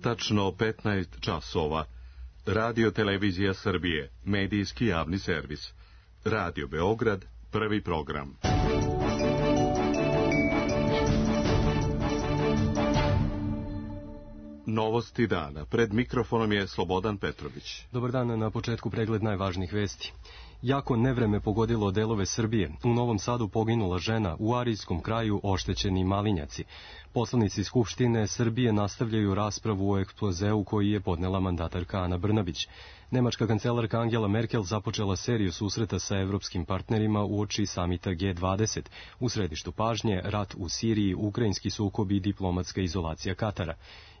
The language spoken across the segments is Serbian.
Tačno 15 časova. Radio Televizija Srbije, medijski javni servis. Radio Beograd, prvi program. Novosti dana. Pred mikrofonom je Slobodan Petrović. Dobar dan, na početku pregled najvažnijih vesti. Jako nevreme pogodilo delove Srbije. U Novom Sadu poginula žena, u Arijskom kraju oštećeni malinjaci. Poslanici Skupštine Srbije nastavljaju raspravu o ekspozeu koji je podnela mandatarka Ana Brnabić. Nemačka kancelarka Angela Merkel započela seriju susreta sa evropskim partnerima uoči samita G20. U središtu pažnje rat u Siriji, ukrajinski sukob i diplomatska izolacija Katara.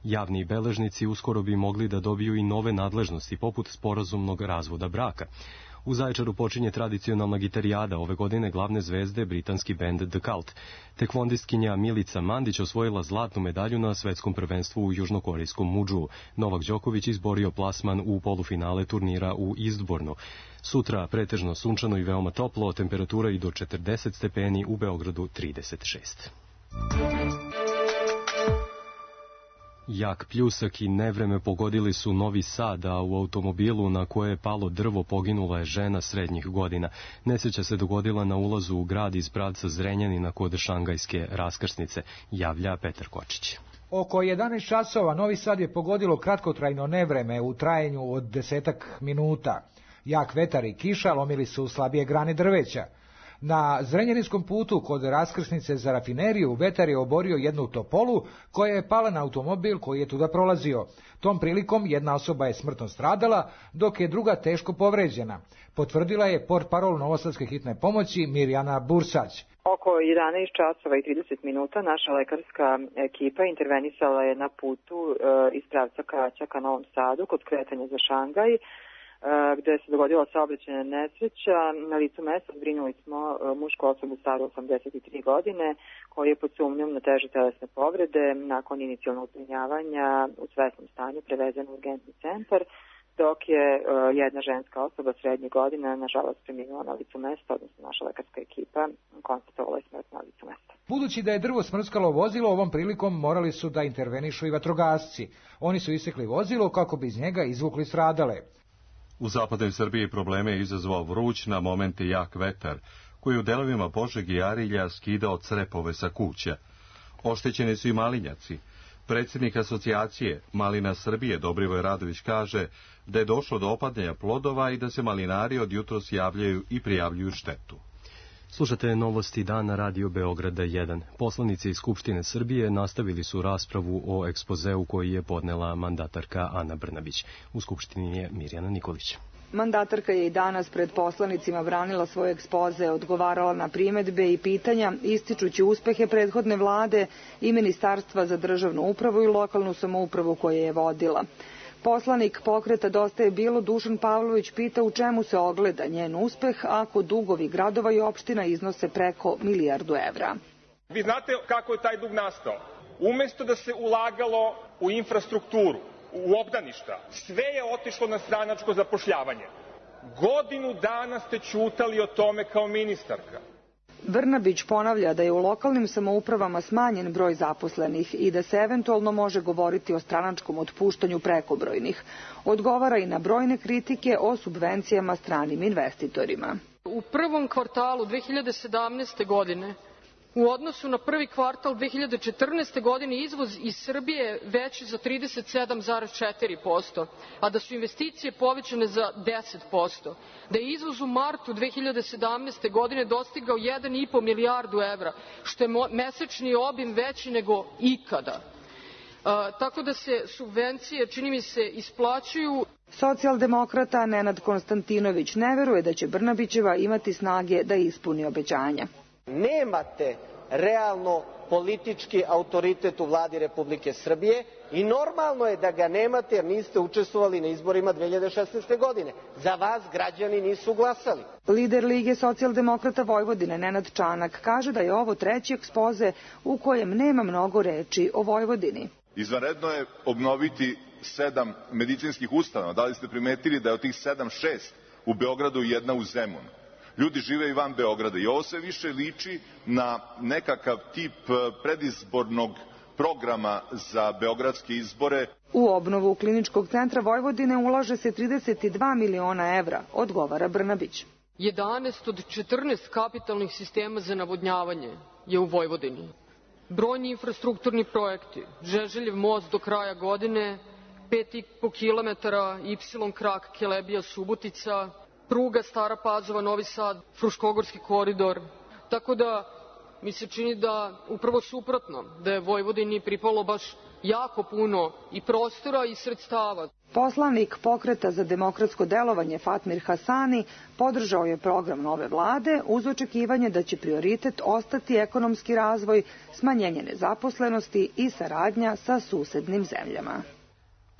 Javni beležnici uskoro bi mogli da dobiju i nove nadležnosti poput sporazumnog razvoda braka. U Zaječaru počinje tradicionalna gitarijada, ove godine glavne zvezde britanski bend The Cult. Tekvondistkinja Milica Mandić osvojila zlatnu medalju na svetskom prvenstvu u južnokorejskom Mudžuu. Novak Đoković izborio plasman u polufinale turnira u Eastbournu. Sutra pretežno sunčano i veoma toplo, temperatura i do 40 stepeni, u Beogradu 36. Jak pljusak i nevreme pogodili su Novi Sad, a u automobilu na koje je palo drvo poginula je žena srednjih godina. Nesreća se dogodila na ulazu u grad iz pravca Zrenjanina kod Šangajske raskrsnice, javlja Petar Kočić. Oko 11 časova Novi Sad je pogodilo kratkotrajno nevreme u trajanju od 10 minuta. Jak vetar i kiša lomili su slabije grane drveća. Na Zrenjaninskom putu kod raskrsnice za rafineriju vetar je oborio jednu topolu koja je pala na automobil koji je tuda prolazio. Tom prilikom jedna osoba je smrtno stradala, dok je druga teško povređena. Potvrdila je portparol Novosadske hitne pomoći Mirjana Bursać. Oko 11 časova i 30 minuta naša lekarska ekipa intervenisala je na putu iz pravca Kaća ka Novom Sadu kod kretanja za Šangaj, gde se dogodila saobraćajna nesreća. Na licu mesta zbrinuli smo mušku osobu staru 83 godine, koji je pod sumnjom na teže telesne povrede nakon inicijalnog zbrinjavanja u svesnom stanju prevezen u urgentni centar, dok je jedna ženska osoba srednje godine nažalost preminula na licu mesta, odnosno naša lekarska ekipa konstatovala je smrt na licu mesta. Budući da je drvo smrskalo vozilo, ovom prilikom morali su da intervenišu i vatrogasci. Oni su isekli vozilo kako bi iz njega izvukli stradale. U zapadnoj Srbiji probleme je izazvao vruć, na momente jak vetar, koji u delovima Požege i Arilja skidao crepove sa kuća. Oštećeni su i malinjaci. Predsjednik asocijacije Malina Srbije Dobrivoj Radović kaže da je došlo do opadanja plodova i da se malinari od jutros javljaju i prijavljuju štetu. Slušate novosti dana Radio Beograda 1. Poslanici iz Skupštine Srbije nastavili su raspravu o ekspozeu koji je podnela mandatarka Ana Brnabić. U Skupštini je Mirjana Nikolić. Mandatarka je i danas pred poslanicima branila svoj ekspoze, odgovarala na primedbe i pitanja, ističući uspehe prethodne vlade i Ministarstva za državnu upravu i lokalnu samoupravu koje je vodila. Poslanik pokreta Dosta je bilo Dušan Pavlović pita u čemu se ogleda njen uspeh ako dugovi gradova i opština iznose preko milijardu evra. Vi znate kako je taj dug nastao? Umesto da se ulagalo u infrastrukturu, u obdaništa, sve je otišlo na stranačko zapošljavanje. Godinu dana ste ćutali o tome kao ministarka. Brnabić ponavlja da je u lokalnim samoupravama smanjen broj zaposlenih i da se eventualno može govoriti o stranačkom otpuštanju prekobrojnih. Odgovara i na brojne kritike o subvencijama stranim investitorima. U prvom kvartalu 2017. godine u odnosu na prvi kvartal 2014. godine izvoz iz Srbije je veći za 37,4%, a da su investicije povećane za 10%, da je izvoz u martu 2017. godine dostigao 1,5 milijardu evra, što je mesečni obim veći nego ikada. Tako da se subvencije, čini mi se, isplaćuju. Socijaldemokrata Nenad Konstantinović ne veruje da će Brnabićeva imati snage da ispuni obećanja. Nemate realno politički autoritet u vladi Republike Srbije i normalno je da ga nemate jer niste učestvovali na izborima 2016. godine. Za vas građani nisu glasali. Lider Lige socijaldemokrata Vojvodine Nenad Čanak kaže da je ovo treći ekspoze u kojem nema mnogo reči o Vojvodini. Izvanredno je obnoviti 7 medicinskih ustanova. Da li ste primetili da je od tih 7, 6 u Beogradu i jedna u Zemunu? Ljudi žive i van Beograda i ovo sve više liči na nekakav tip predizbornog programa za beogradske izbore. U obnovu Kliničkog centra Vojvodine ulaže se 32 miliona evra, odgovara Brnabić. 11 od 14 kapitalnih sistema za navodnjavanje je u Vojvodini. Brojni infrastrukturni projekti, Žeželjev most do kraja godine, 5,5 km Y krak Kelebija Subotica, pruga Stara Pazova Novi Sad, Fruškogorski koridor. Tako da mi se čini da upravo suprotno, da je Vojvodini pripalo baš jako puno i prostora i sredstava. Poslanik Pokreta za demokratsko delovanje Fatmir Hasani podržao je program nove vlade uz očekivanje da će prioritet ostati ekonomski razvoj, smanjenje nezaposlenosti i saradnja sa susednim zemljama.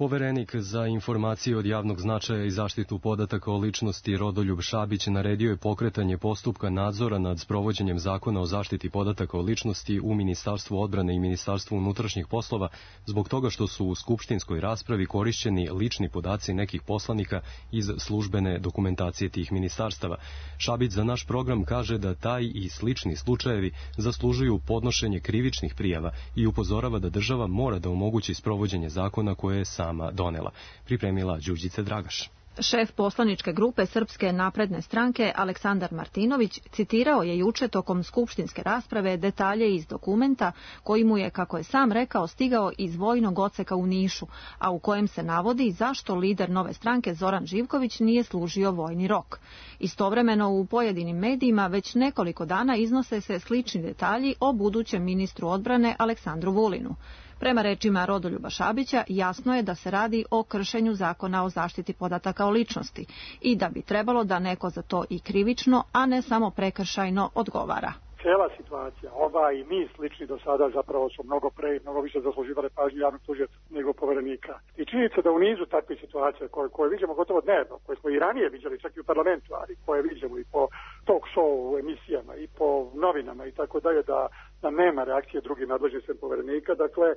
Poverenik za informacije od javnog značaja i zaštitu podataka o ličnosti Rodoljub Šabić naredio je pokretanje postupka nadzora nad sprovođenjem zakona o zaštiti podataka o ličnosti u Ministarstvu odbrane i Ministarstvu unutrašnjih poslova zbog toga što su u skupštinskoj raspravi korišćeni lični podaci nekih poslanika iz službene dokumentacije tih ministarstava. Šabić za naš program kaže da taj i slični slučajevi zaslužuju podnošenje krivičnih prijava i upozorava da država mora da omogući sprovođenje zakona koje je sama donela. Pripremila Đurđica Dragaš. Šef poslaničke grupe Srpske napredne stranke Aleksandar Martinović citirao je juče tokom skupštinske rasprave detalje iz dokumenta koji mu je, kako je sam rekao, stigao iz vojnog odseka u Nišu, a u kojem se navodi zašto lider nove stranke Zoran Živković nije služio vojni rok. Istovremeno u pojedinim medijima već nekoliko dana iznose se slični detalji o budućem ministru odbrane Aleksandru Vulinu. Prema rečima Rodoljuba Šabića, jasno je da se radi o kršenju zakona o zaštiti podataka o ličnosti i da bi trebalo da neko za to i krivično, a ne samo prekršajno odgovara. Cijela situacija, ova i mi slični do sada zapravo su mnogo više zasluživale pažnju javnog tužioca nego poverenika. I činjenica da u nizu takvih situacija koje vidimo gotovo dnevno, koje smo i ranije viđali čak i u parlamentu, ali koje vidimo i po talk show emisijama i po novinama i tako dalje, da nema reakcije drugih nadležnih sem poverenika, dakle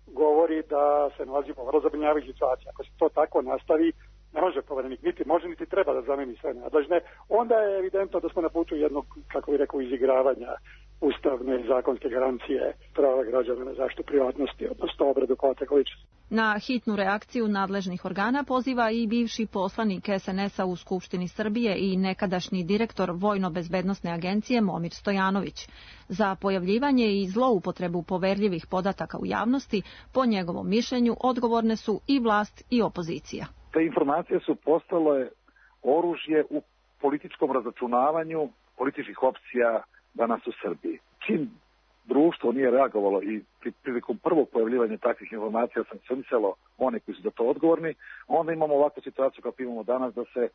govori da se nalazimo u vrlo zabrinjavajućoj situaciji. Ako se to tako nastavi, ne može poverenik, niti može, niti treba da zameni sve nadležne, onda je evidentno da smo na putu jednog, kako bih rekao, izigravanja ustavne i zakonske garancije prava građana na zaštitu privatnosti, odnosno obradu podataka ličnosti. Na hitnu reakciju nadležnih organa poziva i bivši poslanik SNS-a u Skupštini Srbije i nekadašnji direktor Vojno-bezbednosne agencije Momir Stojanović. Za pojavljivanje i zloupotrebu poverljivih podataka u javnosti, po njegovom mišljenju, odgovorne su i vlast i opozicija. Te informacije su postale oružje u političkom razračunavanju političkih opcija danas u Srbiji. Čim društvo nije reagovalo i prilikom prvog pojavljivanja takvih informacija sankcionisalo one koji su za to odgovorni, onda imamo ovakvu situaciju kako imamo danas da se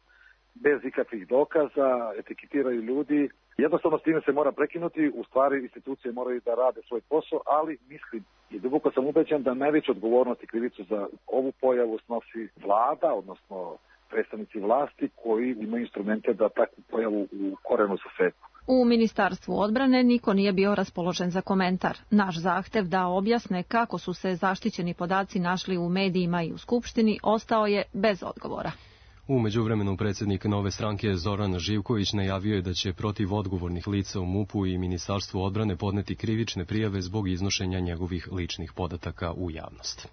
bez ikakvih dokaza etiketiraju ljudi. Jednostavno s time se mora prekinuti, u stvari institucije moraju da rade svoj posao, ali mislim i duboko sam ubeđen da najveću odgovornost i krivicu za ovu pojavu snosi vlada, odnosno predstavnici vlasti koji imaju instrumente da takvu pojavu u korenu saseku. U Ministarstvu odbrane niko nije bio raspoložen za komentar. Naš zahtev da objasne kako su se zaštićeni podaci našli u medijima i u Skupštini ostao je bez odgovora. U međuvremenu predsjednik nove stranke Zoran Živković najavio je da će protiv odgovornih lica u MUP-u i Ministarstvu odbrane podneti krivične prijave zbog iznošenja njegovih ličnih podataka u javnost.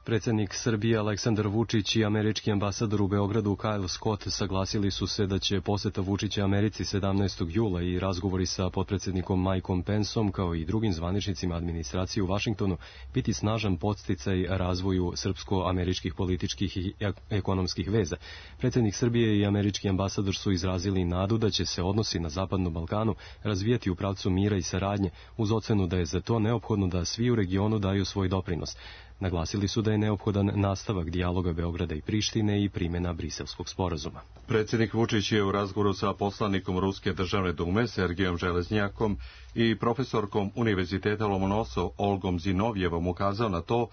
Predsjednik Srbije Aleksandar Vučić i američki ambasador u Beogradu Kyle Scott saglasili su se da će poseta Vučića Americi 17. jula i razgovori sa potpredsjednikom Mikeom Penceom kao i drugim zvaničnicima administracije u Vašingtonu biti snažan podsticaj razvoju srpsko-američkih političkih i ekonomskih veza. Predsjednik Srbije i američki ambasador su izrazili nadu da će se odnosi na Zapadnom Balkanu razvijati u pravcu mira i saradnje uz ocenu da je za to neophodno da svi u regionu daju svoj doprinos. Naglasili su da je neophodan nastavak dijaloga Beograda i Prištine i primjena Briselskog sporazuma. Predsjednik Vučić je u razgovoru sa poslanikom Ruske državne dume Sergijom Železnjakom i profesorkom Univerziteta Lomonosov Olgom Zinovjevom ukazao na to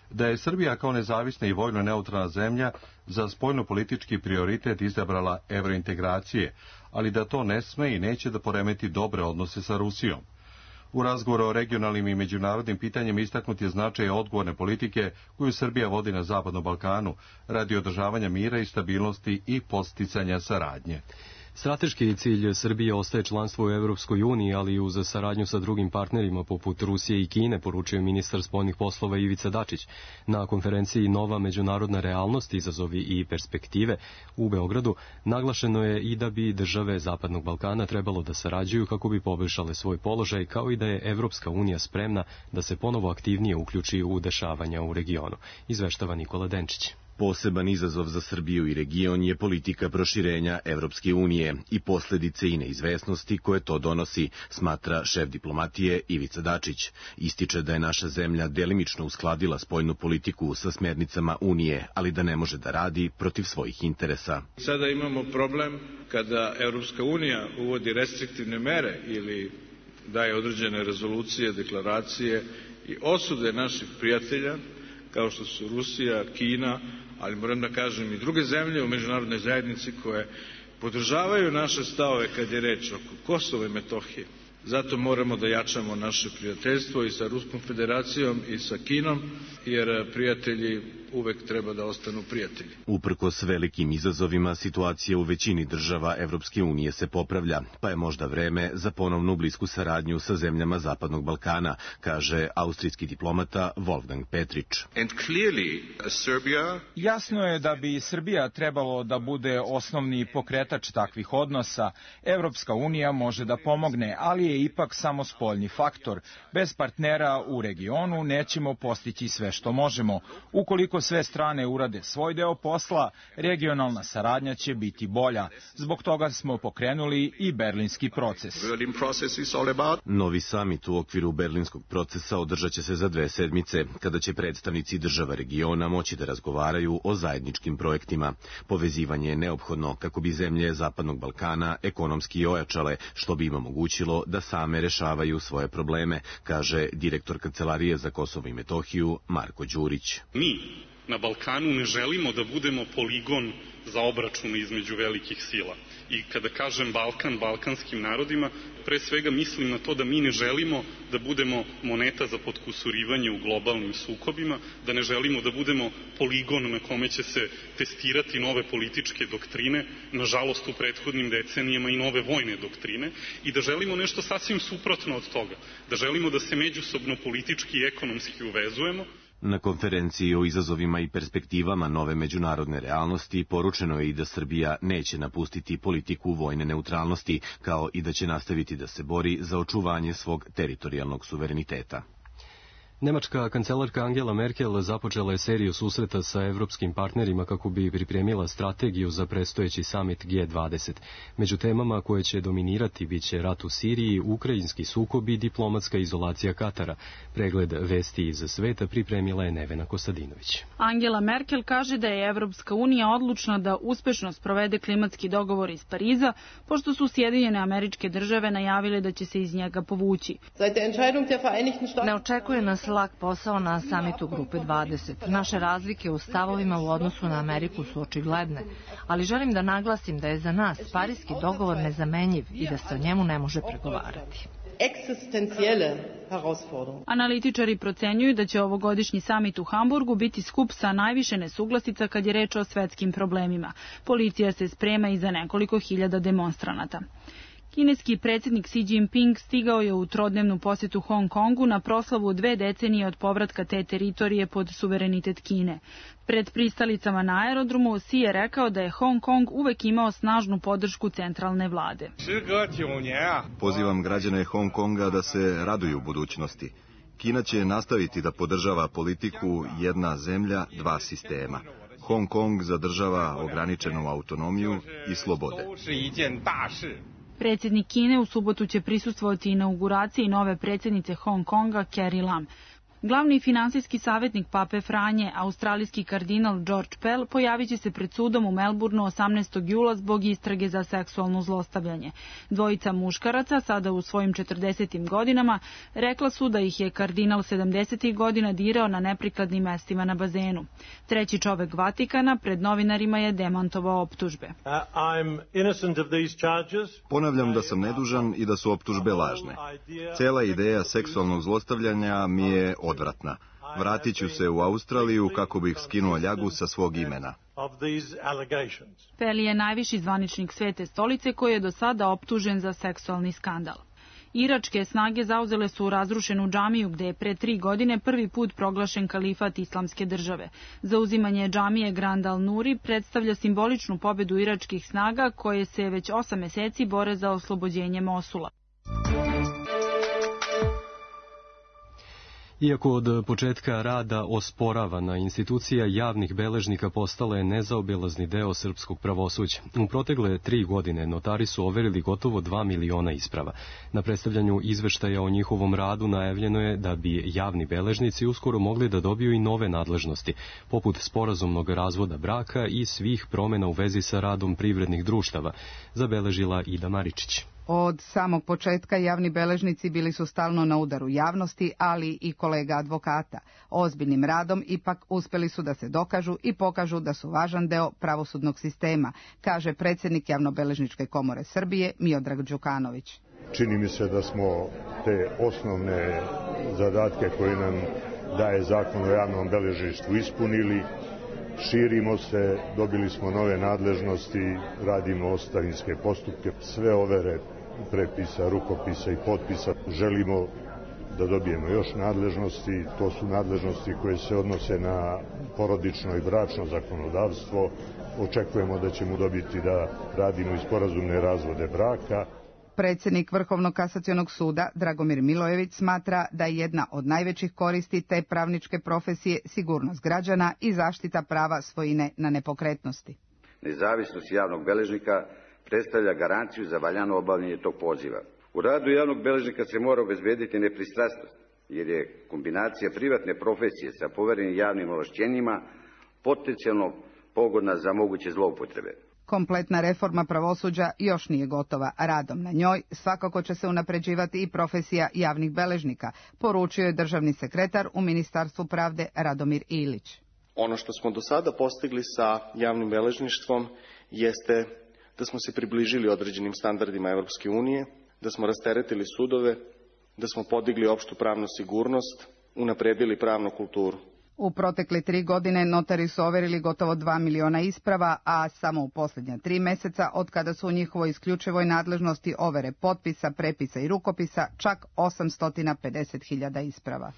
da je Srbija kao nezavisna i vojno neutralna zemlja za spoljno-politički prioritet izabrala evrointegracije, ali da to ne sme i neće da poremeti dobre odnose sa Rusijom. U razgovoru o regionalnim i međunarodnim pitanjima istaknut je značaj odgovorne politike koju Srbija vodi na Zapadnom Balkanu radi održavanja mira i stabilnosti i podsticanja saradnje. Strateški cilj Srbije ostaje članstvo u Evropskoj uniji, ali i uz saradnju sa drugim partnerima poput Rusije i Kine, poručio ministar spoljnih poslova Ivica Dačić. Na konferenciji Nova međunarodna realnost, izazovi i perspektive u Beogradu naglašeno je i da bi države Zapadnog Balkana trebalo da sarađuju kako bi poboljšale svoj položaj, kao i da je Evropska unija spremna da se ponovo aktivnije uključi u dešavanja u regionu, izveštava Nikola Denčić. Poseban izazov za Srbiju i region je politika proširenja Evropske unije i posledice i neizvesnosti koje to donosi, smatra šef diplomatije Ivica Dačić. Ističe da je naša zemlja delimično uskladila spoljnu politiku sa smernicama Unije, ali da ne može da radi protiv svojih interesa. Sada imamo problem kada Evropska unija uvodi restriktivne mere ili daje određene rezolucije, deklaracije i osude naših prijatelja, kao što su Rusija, Kina, ali moram da kažem i druge zemlje u međunarodnoj zajednici koje podržavaju naše stavove kad je reč oko Kosova i Metohije. Zato moramo da jačamo naše prijateljstvo i sa Ruskom federacijom i sa Kinom, jer prijatelji uvek treba da ostanu prijatelji. Uprkos velikim izazovima, situacija u većini država Evropske unije se popravlja, pa je možda vreme za ponovnu blisku saradnju sa zemljama Zapadnog Balkana, kaže austrijski diplomata Wolfgang Petrić. Jasno je da bi Srbija trebalo da bude osnovni pokretač takvih odnosa. Evropska unija može da pomogne, ali je ipak samo spoljni faktor. Bez partnera u regionu nećemo postići sve što možemo. Ukoliko sve strane urade svoj deo posla, regionalna saradnja će biti bolja. Zbog toga smo pokrenuli i berlinski proces. Novi samit u okviru berlinskog procesa održat će se za 2 sedmice, kada će predstavnici država regiona moći da razgovaraju o zajedničkim projektima. Povezivanje je neophodno kako bi zemlje Zapadnog Balkana ekonomski ojačale, što bi im omogućilo da same rešavaju svoje probleme, kaže direktor Kancelarije za Kosovo i Metohiju Marko Đurić. Mi na Balkanu ne želimo da budemo poligon za obračun između velikih sila. I kada kažem Balkan, balkanskim narodima, pre svega mislim na to da mi ne želimo da budemo moneta za potkusurivanje u globalnim sukobima, da ne želimo da budemo poligon na kome će se testirati nove političke doktrine, nažalost u prethodnim decenijama i nove vojne doktrine, i da želimo nešto sasvim suprotno od toga, da želimo da se međusobno politički i ekonomski uvezujemo. Na konferenciji o izazovima i perspektivama nove međunarodne realnosti poručeno je i da Srbija neće napustiti politiku vojne neutralnosti, kao i da će nastaviti da se bori za očuvanje svog teritorijalnog suvereniteta. Nemačka kancelarka Angela Merkel započela je seriju susreta sa evropskim partnerima kako bi pripremila strategiju za predstojeći samit G20. Među temama koje će dominirati biće rat u Siriji, ukrajinski sukob i diplomatska izolacija Katara. Pregled vesti iz sveta pripremila je Nevena Kostadinović. Angela Merkel kaže da je Evropska unija odlučna da uspešno sprovede klimatski dogovor iz Pariza, pošto su Sjedinjene Američke Države najavile da će se iz njega povući. Ne očekuje nas lak posao na samitu Grupe 20. Naše razlike u stavovima u odnosu na Ameriku su očigledne, ali želim da naglasim da je za nas Pariski dogovor nezamenjiv i da se o njemu ne može pregovarati. Analitičari procenjuju da će ovogodišnji samit u Hamburgu biti skup sa najviše nesuglasica kad je reč o svetskim problemima. Policija se sprema i za nekoliko hiljada demonstranata. Kineski predsjednik Xi Jinping stigao je u trodnevnu posjetu Hong Kongu na proslavu 2 decenije od povratka te teritorije pod suverenitet Kine. Pred pristalicama na aerodromu Xi je rekao da je Hong Kong uvek imao snažnu podršku centralne vlade. Pozivam građane Hong Konga da se raduju budućnosti. Kina će nastaviti da podržava politiku jedna zemlja, 2 sistema. Hong Kong zadržava ograničenu autonomiju i slobode. Predsjednik Kine u subotu će prisustvovati inauguraciji nove predsjednice Hong Konga Carrie Lam. Glavni finansijski savjetnik Pape Franje, australijski kardinal George Pell, pojavit će se pred sudom u Melbourneu 18. jula zbog istrage za seksualno zlostavljanje. Dvojica muškaraca, sada u svojim 40. godinama, rekla su da ih je kardinal 70. godina dirao na neprikladnim mestima na bazenu. Treći čovek Vatikana pred novinarima je demantovao optužbe. Ponavljam da sam nedužan i da su optužbe lažne. Cela ideja seksualnog zlostavljanja mi je odvratna. Vratit ću se u Australiju kako bih skinuo ljagu sa svog imena. Pell je najviši zvaničnik Svete stolice koji je do sada optužen za seksualni skandal. Iračke snage zauzele su razrušenu džamiju gde je pre 3 godine prvi put proglašen kalifat islamske države. Zauzimanje džamije Grand al-Nuri predstavlja simboličnu pobedu iračkih snaga koje se već 8 meseci bore za oslobođenje Mosula. Iako od početka rada osporavana, institucija javnih beležnika postala je nezaobilazni deo srpskog pravosuđa. U protekle 3 godine notari su overili gotovo 2 miliona isprava. Na predstavljanju izveštaja o njihovom radu najavljeno je da bi javni beležnici uskoro mogli da dobiju i nove nadležnosti, poput sporazumnog razvoda braka i svih promena u vezi sa radom privrednih društava, zabeležila Ida Maričić. Od samog početka javni beležnici bili su stalno na udaru javnosti, ali i kolega advokata. Ozbiljnim radom ipak uspeli su da se dokažu i pokažu da su važan deo pravosudnog sistema, kaže predsjednik Javnobeležničke komore Srbije Miodrag Đukanović. Čini mi se da smo te osnovne zadatke koje nam daje zakon o javnom beležništvu ispunili. Širimo se, dobili smo nove nadležnosti, radimo ostavinske postupke, sve overe prepisa, rukopisa i potpisa. Želimo da dobijemo još nadležnosti, to su nadležnosti koje se odnose na porodično i bračno zakonodavstvo. Očekujemo da ćemo dobiti da radimo i sporazumne razvode braka. Predsjednik Vrhovnog kasacionog suda Dragomir Milojević smatra da je jedna od najvećih koristi te pravničke profesije sigurnost građana i zaštita prava svojine na nepokretnosti. Nezavisnost javnog beležnika predstavlja garanciju za valjano obavljanje tog poziva. U radu javnog beležnika se mora obezbediti nepristrasnost, jer je kombinacija privatne profesije sa poverenim javnim ovlašćenjima potencijalno pogodna za moguće zloupotrebe. Kompletna reforma pravosuđa još nije gotova. Radom na njoj svakako će se unapređivati i profesija javnih beležnika, poručio je državni sekretar u Ministarstvu pravde Radomir Ilić. Ono što smo do sada postigli sa javnim beležništvom jeste da smo se približili određenim standardima Europske unije, da smo rasteretili sudove, da smo podigli opštu pravnu sigurnost, unapredili pravnu kulturu. U protekle 3 godine notari su overili gotovo 2 miliona isprava, a samo u posljednja 3 meseca, od kada su u njihovoj isključivoj nadležnosti overe potpisa, prepisa i rukopisa, čak 850.000 isprava.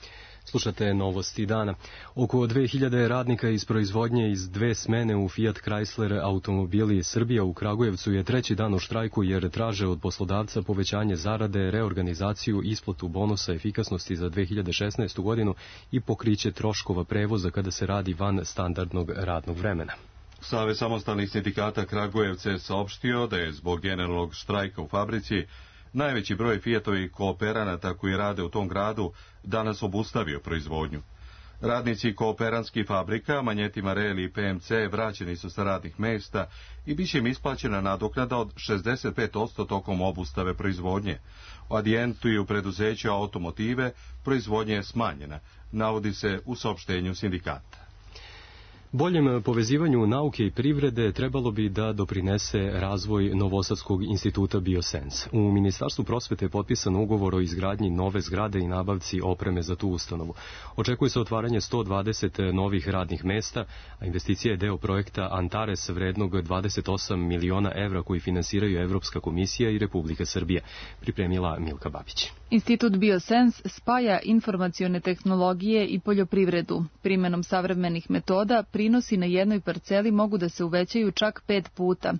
Slušate novosti dana. Oko 2000 radnika iz proizvodnje iz 2 smene u Fiat Chrysler automobili Srbija u Kragujevcu je 3. dan u štrajku jer traže od poslodavca povećanje zarade, reorganizaciju, isplatu bonusa efikasnosti za 2016. godinu i pokriće troškova prevoza kada se radi van standardnog radnog vremena. Savez samostalnih sindikata Kragujevca je saopštio da je zbog generalnog štrajka u fabrici najveći broj Fiatovih kooperanata koji rade u tom gradu danas obustavio proizvodnju. Radnici kooperanskih fabrika, Manjetima Reli i PMC, vraćeni su sa radnih mesta i bit će im isplaćena nadoknada od 65% tokom obustave proizvodnje. U Adijentu i u preduzeću Automotive proizvodnja je smanjena, navodi se u saopštenju sindikata. Boljem povezivanju nauke i privrede trebalo bi da doprinese razvoj Novosadskog instituta Biosens. U Ministarstvu prosvete je potpisan ugovor o izgradnji nove zgrade i nabavci opreme za tu ustanovu. Očekuje se otvaranje 120 novih radnih mesta, a investicija je deo projekta Antares vrednog 28 miliona evra koji finansiraju Evropska komisija i Republika Srbija, pripremila Milka Babić. Institut Biosens spaja informacione tehnologije i poljoprivredu. Primenom savremenih metoda prinosi na jednoj parceli mogu da se uvećaju čak 5 puta.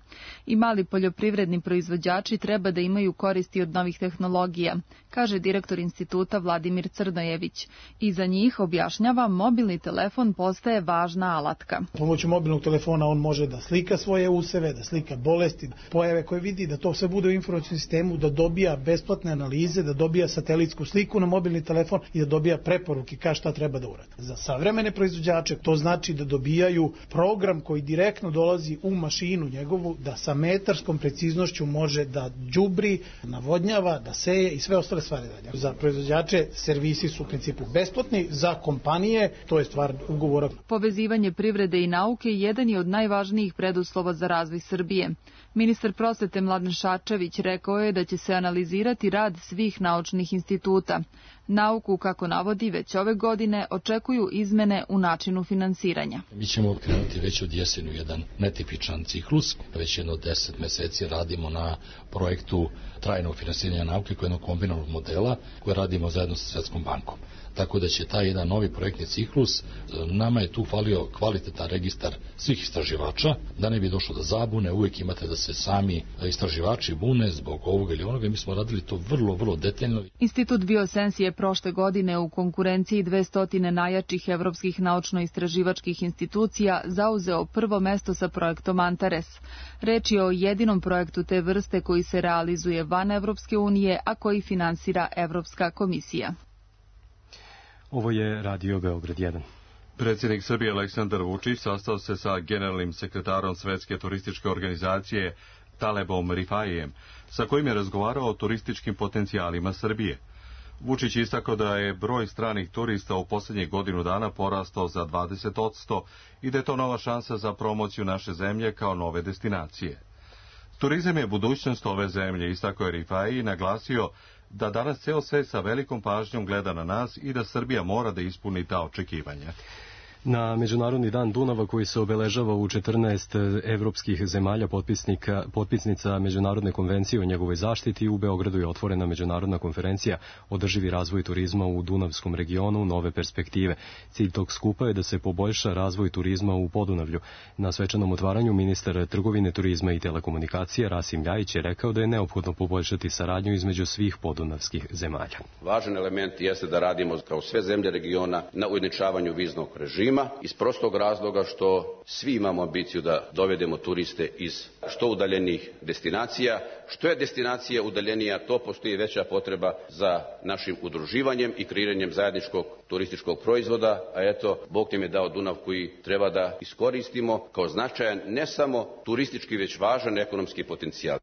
I mali poljoprivredni proizvođači treba da imaju koristi od novih tehnologija, kaže direktor instituta Vladimir Crnojević. I za njih, objašnjava, mobilni telefon postaje važna alatka. Pomoću mobilnog telefona on može da slika svoje useve, da slika bolesti, pojave koje vidi, da to sve bude u informacijskom sistemu, da dobija besplatne analize, da dobija satelitsku sliku na mobilni telefon i da dobija preporuke šta treba da uradi. Za savremene proizvođače to znači da dobija dobijaju program koji direktno dolazi u mašinu njegovu, da sa metarskom preciznošću može da đubri, navodnjava, da seje i sve ostale stvari dalje. Za proizvođače servisi su u principu besplatni, za kompanije to je stvar ugovora. Povezivanje privrede i nauke jedan je od najvažnijih preduslova za razvoj Srbije. Ministar prosvete Mladen Šarčević rekao je da će se analizirati rad svih naučnih instituta. Nauku, kako navodi, već ove godine očekuju izmene u načinu finansiranja. Mi ćemo krenuti već od jesenu jedan netipičan ciklus. Već jedno 10 meseci radimo na projektu trajnog finansiranja nauke koji je jednog kombinovanog modela koje radimo zajedno sa Svetskom bankom. Tako da će taj jedan novi projektni ciklus, nama je tu falio kvalitetan registar svih istraživača, da ne bi došlo do zabune, uvijek imate da se sami istraživači bune zbog ovoga ili onoga. Mi smo radili to vrlo detaljno. Institut Biosens je prošle godine u konkurenciji 200 najjačih evropskih naučno-istraživačkih institucija zauzeo prvo mesto sa projektom Antares. Reč je o jedinom projektu te vrste koji se realizuje van Evropske unije, a koji finansira Evropska komisija. Ovo je Radio Beograd 1. Predsjednik Srbije Aleksandar Vučić sastao se sa generalnim sekretarom Svetske turističke organizacije Talebom Rifaijem, sa kojim je razgovarao o turističkim potencijalima Srbije. Vučić istakao da je broj stranih turista u posljednjih godinu dana porastao za 20% i da je to nova šansa za promociju naše zemlje kao nove destinacije. Turizam je budućnost ove zemlje, istakao je Rifaji i naglasio da danas ceo svet sa velikom pažnjom gleda na nas i da Srbija mora da ispuni ta očekivanja. Na Međunarodni dan Dunava, koji se obeležava u 14 evropskih zemalja potpisnica Međunarodne konvencije o njegovoj zaštiti, u Beogradu je otvorena međunarodna konferencija Održivi razvoj turizma u Dunavskom regionu, nove perspektive. Cilj tog skupa je da se poboljša razvoj turizma u Podunavlju. Na svečanom otvaranju ministar trgovine, turizma i telekomunikacija Rasim Ljajić je rekao da je neophodno poboljšati saradnju između svih podunavskih zemalja. Važan element jeste da radimo kao sve zemlje regiona na ujednačavanju viznog režima, iz prostog razloga što svi imamo ambiciju da dovedemo turiste iz što udaljenijih destinacija. Što je destinacija udaljenija, to postoji veća potreba za našim udruživanjem i kreiranjem zajedničkog turističkog proizvoda, a eto, Bog nam je dao Dunav koji treba da iskoristimo kao značajan, ne samo turistički, već važan ekonomski potencijal.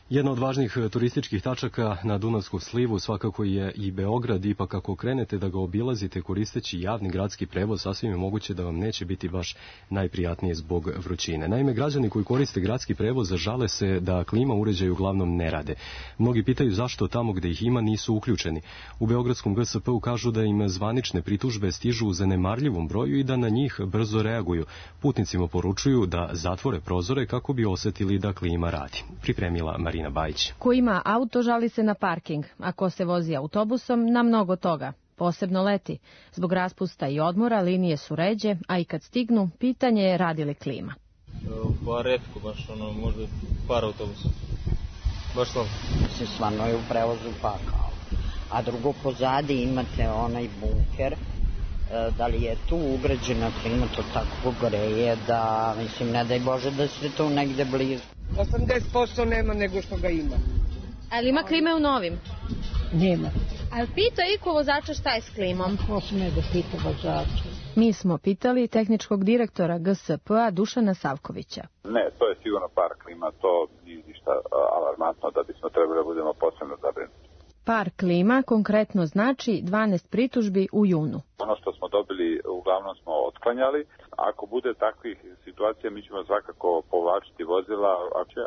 Jedna od važnih turističkih tačaka na Dunavskom slivu svakako je i Beograd, ipak ako krenete da ga obilazite koristeći javni gradski prevoz, sasvim je moguće da vam neće biti baš najprijatnije zbog vrućine. Naime, građani koji koriste gradski prevoz žale se da klima uređaji uglavnom ne rade. Mnogi pitaju zašto tamo gde ih ima nisu uključeni. U Beogradskom GSP-u kažu da im zvanične pritužbe stižu u zanemarljivom broju i da na njih brzo reaguju. Putnicima poručuju da zatvore prozore kako bi osetili da klima radi. Pripremila Marina Bajić. Ko ima auto žali se na parking, a ko se vozi autobusom na mnogo toga, posebno leti. Zbog raspusta i odmora linije su ređe, a i kad stignu, pitanje je radi li klima. Pa retko, baš možda par autobusa. Baš slabo. Mislim, stvarno je u prevozu pakao. A drugo, pozadi imate onaj bunker, da li je tu ugrađena klima, to tako greje da, mislim, ne daj Bože da se tu negde blizu. 80% nema nego što ga ima. Ali ima klime u novim? Nema. Ali pita iko vozača šta je s klimom? Ko se ne da pita vozača? Mi smo pitali tehničkog direktora GSP-a Dušana Savkovića. Ne, to je sigurno par klima, to nije ništa alarmantno da bismo trebali da budemo posebno zabrinuti. Par klima konkretno znači 12 pritužbi u junu. Ono što smo dobili uglavnom smo otklanjali. Ako bude takvih situacija, mi ćemo svakako povlačiti vozila,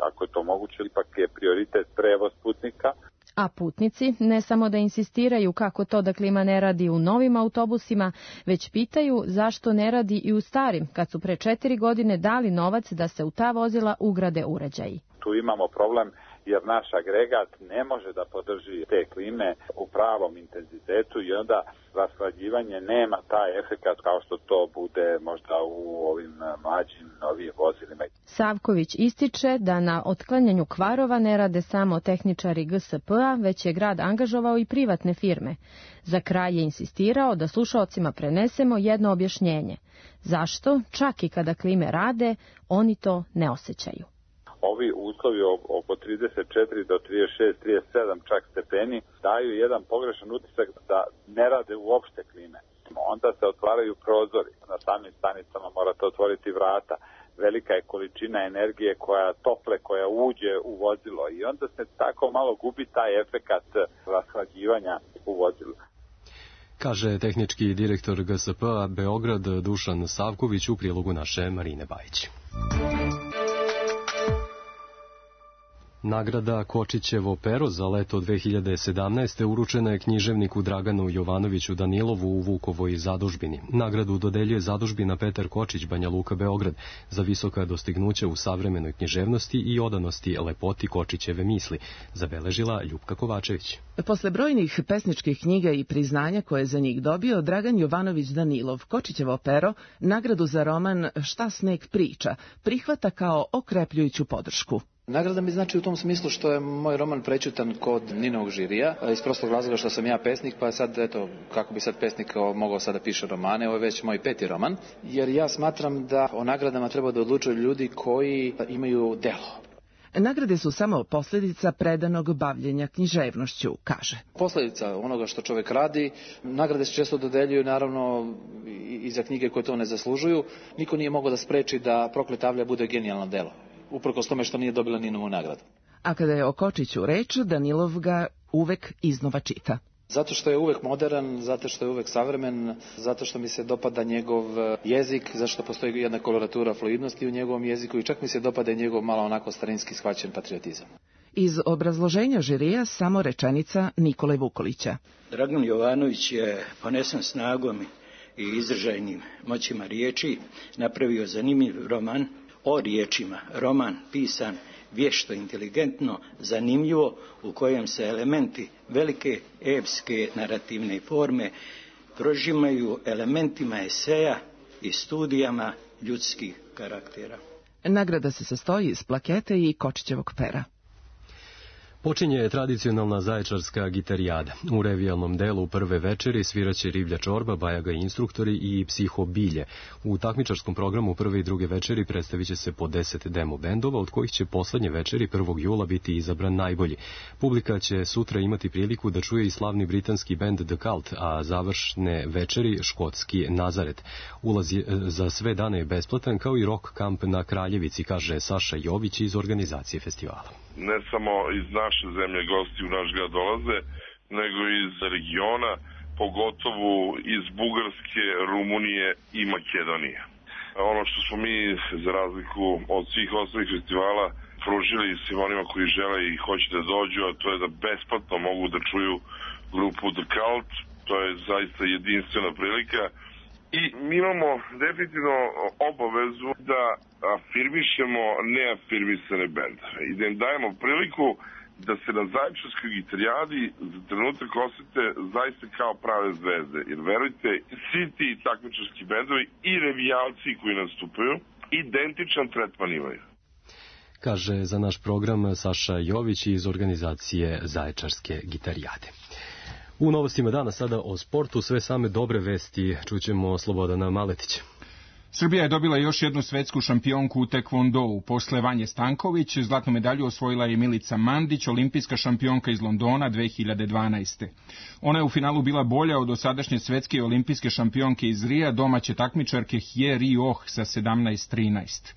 ako je to moguće, ipak je prioritet prevoz putnika. A putnici ne samo da insistiraju kako to da klima ne radi u novim autobusima, već pitaju zašto ne radi i u starim, kad su pre 4 godine dali novac da se u ta vozila ugrade uređaji. Tu imamo problem jer naš agregat ne može da podrži te klime u pravom intenzitetu i onda rashlađivanje nema taj efekat kao što to bude možda u ovim mlađim novijim vozilima. Savković ističe da na otklanjanju kvarova ne rade samo tehničari GSP-a, već je grad angažovao i privatne firme. Za kraj je insistirao da slušaocima prenesemo jedno objašnjenje. Zašto, čak i kada klime rade, oni to ne osjećaju. Ovi uslovi oko 34 do 36, 37 čak stepeni daju jedan pogrešan utisak da ne rade uopšte klime. onda se otvaraju prozori. Na samim stanicama morate otvoriti vrata. Velika je količina energije koja uđe u vozilo i onda se tako malo gubi taj efekat rashlađivanja u vozilu. Kaže tehnički direktor GSP-a Beograd Dušan Savković u prilogu naše Marine Bajić. Nagrada Kočićevo pero za leto 2017. uručena je književniku Draganu Jovanoviću Danilovu u Vukovoj zadužbini. Nagradu dodeljuje zadužbina Petar Kočić, Banja Luka, Beograd, za visoka dostignuća u savremenoj književnosti i odanosti lepoti Kočićeve misli, zabeležila Ljupka Kovačević. Posle brojnih pesničkih knjiga i priznanja koje je za njih dobio, Dragan Jovanović Danilov Kočićevo pero nagradu za roman Šta sneg priča prihvata kao okrepljujuću podršku. Nagrada mi znači u tom smislu što je moj roman prećutan kod Ninovog žirija, iz prostog razloga što sam ja pesnik, pa sad, eto, kako bi sad pesnik mogao sada piše romane, ovo je već moj 5. roman, jer ja smatram da o nagradama treba da odlučuju ljudi koji imaju delo. Nagrade su samo posljedica predanog bavljenja književnošću, kaže. Posljedica onoga što čovjek radi, nagrade se često dodeljuju naravno i za knjige koje to ne zaslužuju. Niko nije mogao da spreči da Prokleta avlija bude genijalno delo, uprkos tome što nije dobila Ninovu nagradu. A kada je o Kočiću reč, Danilov ga uvek iznova čita. Zato što je uvek modern, zato što je uvek savremen, zato što mi se dopada njegov jezik, zato što postoji jedna koloratura fluidnosti u njegovom jeziku i čak mi se dopada i njegov malo onako starinski shvaćen patriotizam. Iz obrazloženja žirija samo rečenica Nikole Vukolića. Dragan Jovanović je ponesen snagom i izražajnim moćima riječi napravio zanimljiv roman o riječima. Roman pisan vješto, inteligentno, zanimljivo, u kojem se elementi velike epske narativne forme prožimaju elementima eseja i studijama ljudskih karaktera. Nagrada se sastoji iz plakete i Kočićevog pera. Počinje tradicionalna zaječarska gitarijada. U revijalnom delu prve večeri sviraće Riblja čorba, Bajaga instruktori i Psiho bilje. U takmičarskom programu prve i druge večeri predstavit će se po 10 demo bendova, od kojih će poslednje večeri 1. jula biti izabran najbolji. Publika će sutra imati priliku da čuje i slavni britanski bend The Cult, a završne večeri škotski Nazaret. Ulaz za sve dane je besplatan, kao i rock kamp na Kraljevici, kaže Saša Jović iz organizacije festivala. Ne samo iz naše zemlje gosti u naš grad dolaze, nego iz regiona, pogotovo iz Bugarske, Rumunije i Makedonije. Ono što smo mi, za razliku od svih ostalih festivala, pružili svim onima koji žele i hoće da dođu, a to je da besplatno mogu da čuju grupu The Cult. To je zaista jedinstvena prilika. I mi imamo definitivno obavezu da afirmišemo neafirmisane bendove i da im dajemo priliku da se na zaječarskoj gitarijadi za trenutak osete zaista kao prave zvezde. Jer verujte, svi ti takmičarski bendovi i revijalci koji nastupaju identičan tretman imaju. Kaže za naš program Saša Jović iz organizacije Zaječarske gitarijade. U novostima dana sada o sportu, sve same dobre vesti, čućemo Slobodana Maletića. Srbija je dobila još jednu svetsku šampionku u tekvondou. Posle Vanje Stanković, zlatnu medalju osvojila je Milica Mandić, olimpijska šampionka iz Londona 2012. Ona je u finalu bila bolja od dosadašnje svetske i olimpijske šampionke iz Rija, domaće takmičarke Hye Ri-oh sa 17-13.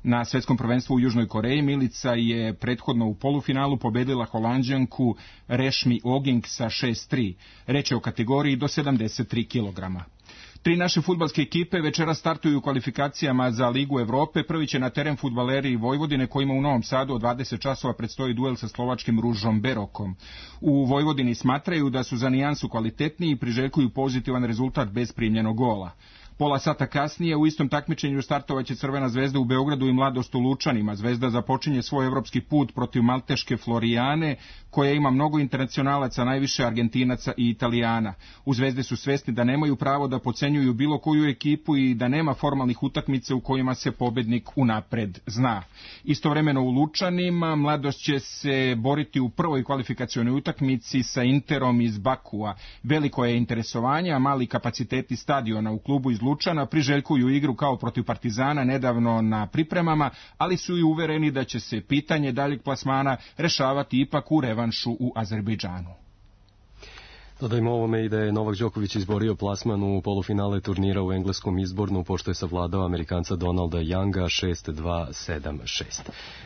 Na svetskom prvenstvu u Južnoj Koreji Milica je prethodno u polufinalu pobedila Holanđanku Rešmi Oging sa 6-3. Reč je o kategoriji do 73 kg. 3 naše fudbalske ekipe večera startuju u kvalifikacijama za Ligu Evrope. Prvi će na teren fudbaleri Vojvodine, kojima u Novom Sadu od 20 časova predstoji duel sa slovačkim Ružom Berokom. U Vojvodini smatraju da su za nijansu kvalitetniji i priželjkuju pozitivan rezultat bez primljenog gola. Pola sata kasnije u istom takmičenju startovaće Crvena zvezda u Beogradu i Mladost u Lučanima. Zvezda započinje svoj evropski put protiv malteške Florijane, koja ima mnogo internacionalaca, najviše Argentinaca i Italijana. U Zvezde su svesni da nemaju pravo da podcenjuju bilo koju ekipu i da nema formalnih utakmica u kojima se pobednik unapred zna. Istovremeno u Lučanima Mladost će se boriti u prvoj kvalifikacionoj utakmici sa Interom iz Bakua. Veliko je interesovanje, a mali kapaciteti stadiona u klubu iz Lučana priželjkuju igru kao protiv Partizana nedavno na pripremama, ali su i uvereni da će se pitanje daljeg plasmana rešavati ipak u revanšu u Azerbejdžanu. Dodajmo ovome i da je Novak Đoković izborio plasman u polufinale turnira u engleskom Izbornu, pošto je savladao Amerikanca Donalda Younga 6-2, 7-6.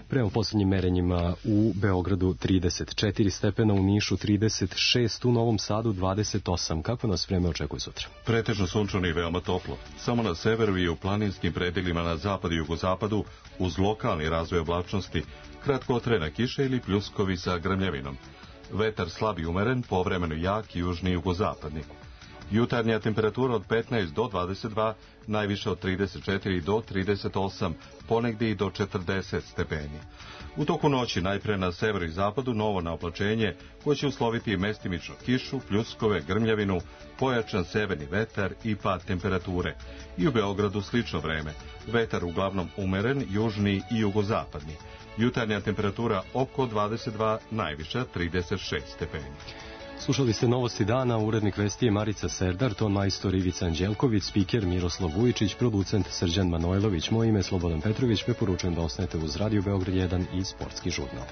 Prema posljednjim merenjima u Beogradu 34 stepena, u Nišu 36, u Novom Sadu 28. Kako nas vreme očekuje sutra? Pretežno sunčano i veoma toplo. Samo na severu i u planinskim predelima na zapadu i jugozapadu, uz lokalni razvoj oblačnosti, kratkotrajna kiša ili pljuskovi sa grmljavinom. Vetar slab i umeren, povremeno jak i južni i jugozapadni. Jutarnja temperatura od 15 do 22, najviše od 34 do 38, ponegdje i do 40 stepeni. U toku noći najpre na severu i zapadu novo naoblačenje koje će usloviti mestimično kišu, pljuskove, grmljavinu, pojačan severni vetar i pad temperature. I u Beogradu slično vreme. Vetar uglavnom umeren, južni i jugozapadni. Jutarnja temperatura oko 22, najviša 36 stepeni. Slušali ste Novosti dana, urednik vesti je Marica Serdar, ton majstor Ivica Anđelković, spiker Miroslav Vujičić, producent Srđan Manojlović, moje ime Slobodan Petrović, preporučujem da ostanete uz Radio Beograd 1 i Sportski žurnal.